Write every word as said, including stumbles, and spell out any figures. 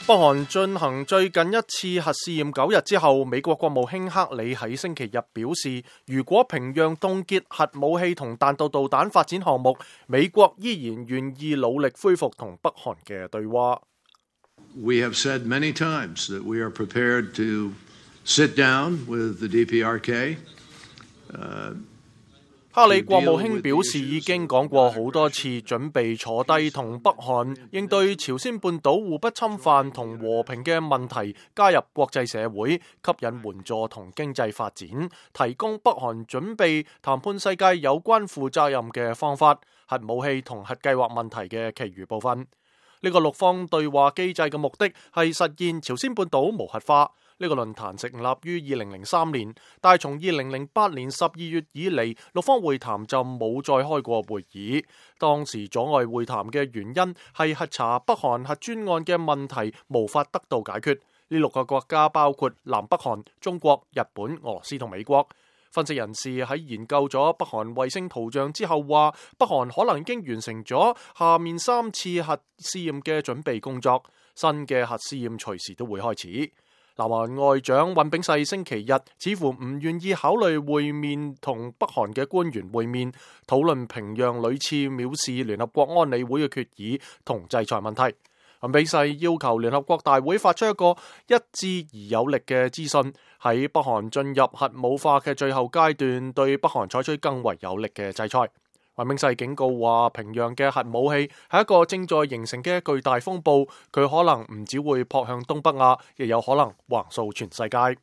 北韓進行最近一次核試驗九日之後，美國國務卿克里喺星期日表示，如果平壤凍結核武器同彈道導彈發展項目，美國依然願意努力恢復同北韓嘅對話。We have said many times that we are prepared to sit down with the D P R K. 克里國務卿表示，已經講過好多次，準備坐低同北韓應對朝鮮半島互不侵犯同和平嘅問題，加入國際社會，吸引援助同經濟發展，提供北韓準備談判世界有關負責任嘅方法，核武器同核計劃問題嘅其餘部分。呢個六方對話機制嘅目的係實現朝鮮半島無核化。呢個論壇成立於二零零三年，但係從二零零八年十二月以嚟，六方會談就冇再開過會議。當時阻礙會談嘅原因係核查北韓核專案嘅問題無法得到解決。呢六個國家包括南北韓、中國、日本、俄羅斯同美國。分析人士喺研究咗北韓衛星圖像之後話，北韓可能已經完成咗下面三次核試驗嘅準備工作，新嘅核試驗隨時都會開始。南韓外長尹炳世星期日似乎唔願意考慮會面同北韓嘅官員會面，討論平壤屢次藐視聯合國安理會嘅決議同制裁問題。尹炳世要求聯合國大會發出一個一致而有力嘅資訊，喺北韓進入核武化嘅最後階段，對北韓採取更為有力嘅制裁。尹炳世警告話，平壤嘅核武器係一個正在形成嘅巨大風暴，佢可能唔只會撲向東北亞，亦有可能橫掃全世界。